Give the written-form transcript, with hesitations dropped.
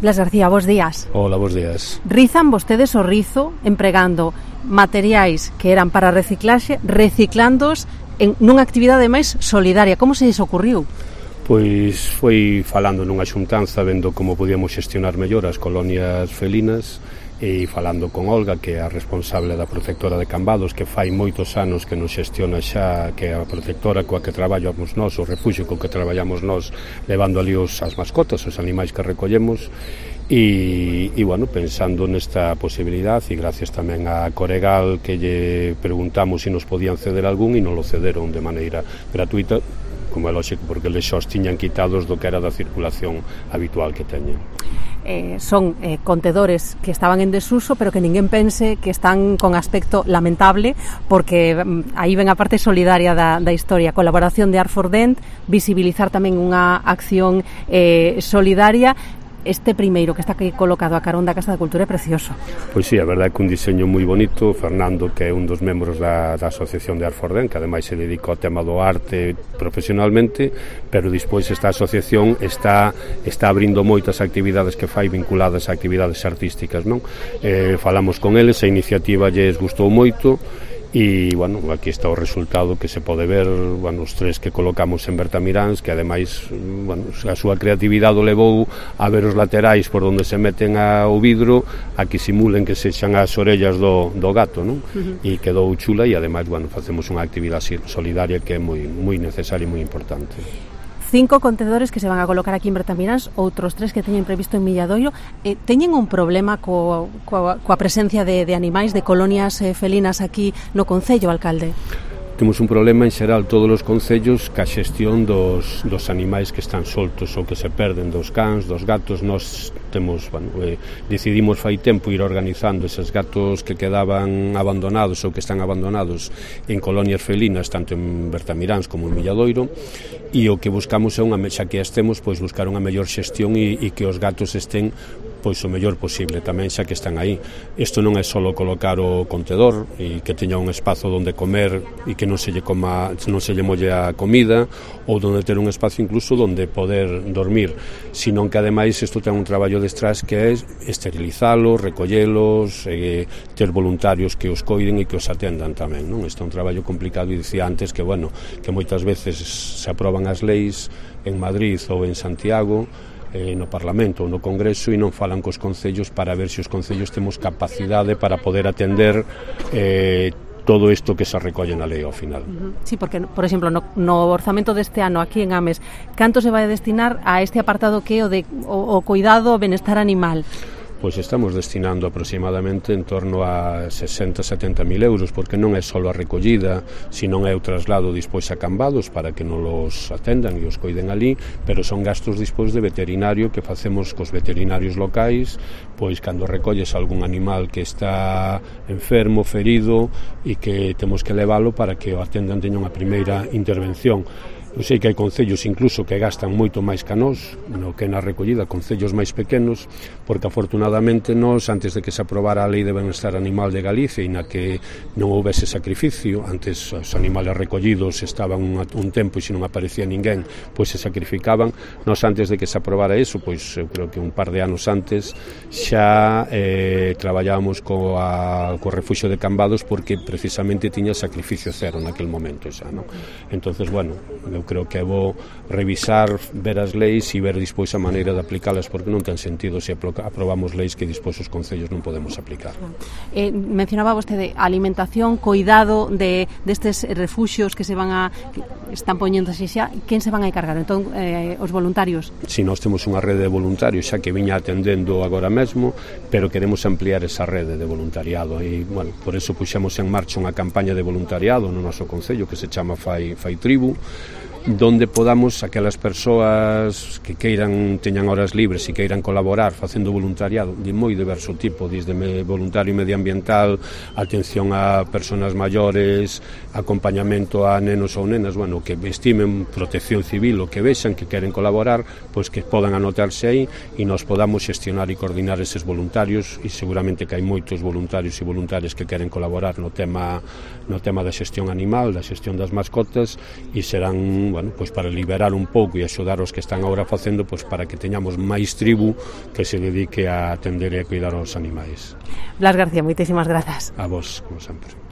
Blas García, bos días. Hola, bos días. Rizan vostedes o rizo empregando materiais que eran para reciclaxe, reciclándoos nunha actividade máis solidaria. Como se lles ocurriu? Pois foi falando nunha xuntanza, vendo como podíamos xestionar mellor as colonias felinas e falando con Olga, que é a responsable da protectora de Cambados, que fai moitos anos que nos xestiona xa, que é a protectora coa que traballamos nós, o refuxio co que traballamos nós, levando ali as mascotas, os animais que recollemos. E bueno, pensando nesta posibilidad e gracias tamén a Coregal, que lle preguntamos se nos podían ceder algún e non lo cederon de maneira gratuita, como é lógico, porque eles xa os tiñan quitados do que era da circulación habitual que teñen. Son contedores que estaban en desuso, pero que ninguén pense que están con aspecto lamentable, porque aí ven a parte solidaria da historia, colaboración de Art4Dent, visibilizar tamén unha acción solidaria. Este primeiro que está aquí colocado a carón da Casa da Cultura é precioso. Pois sí, a verdade é que un diseño moi bonito. Fernando, que é un dos membros da asociación de Art4Dent, que ademais se dedica ao tema do arte profesionalmente, pero despois esta asociación está abrindo moitas actividades que fai vinculadas a actividades artísticas, non? Falamos con eles, a iniciativa lles gustou moito. E, bueno, aquí está o resultado que se pode ver, bueno, os tres que colocamos en Bertamiráns, que ademais, bueno, a súa creatividade o levou a ver os laterais por onde se meten o vidro, a que simulen que sexan as orellas do gato, non? E quedou chula e ademais, bueno, facemos unha actividade solidaria que é moi necesaria e moi importante. 5 contedores que se van a colocar aquí en Bertamiráns, outros 3 que teñen previsto en Milladoiro. Teñen un problema coa presencia de animais, de colonias felinas aquí no concello, alcalde? Temos un problema en xeral todos os concellos ca xestión dos animais que están soltos ou que se perden, dos cans, dos gatos. Nós temos, bueno, decidimos fai tempo ir organizando eses gatos que quedaban abandonados ou que están abandonados en colonias felinas, tanto en Bertamiráns como en Milladoiro, e o que buscamos é xa que estemos, pois buscar unha mellor xestión e que os gatos estén pois o mellor posible tamén xa que están aí. Isto non é só colocar o contedor e que teña un espazo onde comer e que non se lle molle a comida, ou onde ter un espazo incluso onde poder dormir, sino que ademais isto ten un traballo detrás que é esterilizalo, recollelos, ter voluntarios que os coiden e que os atendan tamén, non? Isto é un traballo complicado e dicía antes que, bueno, que moitas veces se aproban as leis en Madrid ou en Santiago, no Parlamento ou no Congreso, e non falan cos concellos para ver se os concellos temos capacidade para poder atender todo isto que se recolle na lei ao final. Sí, porque, por exemplo, no orzamento deste ano aquí en Ames, canto se vai destinar a este apartado que é o cuidado ao benestar animal? Pois estamos destinando aproximadamente en torno a 60-70 mil euros, porque non é só a recollida, sino é o traslado dispois a Cambados para que non os atendan e os coiden ali, pero son gastos dispois de veterinario que facemos cos veterinarios locais, pois cando recolles algún animal que está enfermo, ferido, e que temos que leválo para que o atendan, teña unha primeira intervención. Eu sei que hai concellos incluso que gastan moito máis que nós, no que na recollida, concellos máis pequenos, porque afortunadamente nós, antes de que se aprobara a Lei de Benestar Animal de Galicia e na que non houvese sacrificio, antes os animales recollidos estaban un tempo e se non aparecía ninguén, pois se sacrificaban. Nós, antes de que se aprobara eso, pois eu creo que un par de anos antes, xa traballábamos co refuxio de Cambados, porque precisamente tiña sacrificio cero naquel momento xa, non? Entonces, bueno, eu creo que é bo revisar, ver as leis e ver despois a maneira de aplicalas, porque non ten sentido se aprobamos leis que despois os concellos non podemos aplicar. Mencionaba vostede alimentación, cuidado destes refuxios que están poñéndose xa. Quen se van a encargar? Entón, os voluntarios? Si, nós temos unha rede de voluntarios xa que viña atendendo agora mesmo, pero queremos ampliar esa rede de voluntariado e, bueno, por eso puxemos en marcha unha campaña de voluntariado no noso concello que se chama Fai Tribu, donde podamos, aquelas persoas que teñan horas libres e queiran colaborar facendo voluntariado de moi diverso tipo, desde voluntario medioambiental, atención a persoas maiores, acompañamento a nenos ou nenas, bueno, que estimen, protección civil, o que vexan que queren colaborar, pois que podan anotarse aí e nos podamos xestionar e coordinar eses voluntarios, e seguramente que hai moitos voluntarios e voluntarias que queren colaborar no tema da xestión animal, da xestión das mascotas, e serán tamén, bueno, pois para liberar un pouco e axudar os que están agora facendo, pois para que teñamos máis tribu que se dedique a atender e a cuidar aos animais. Blas García, moitísimas grazas. A vos, como sempre.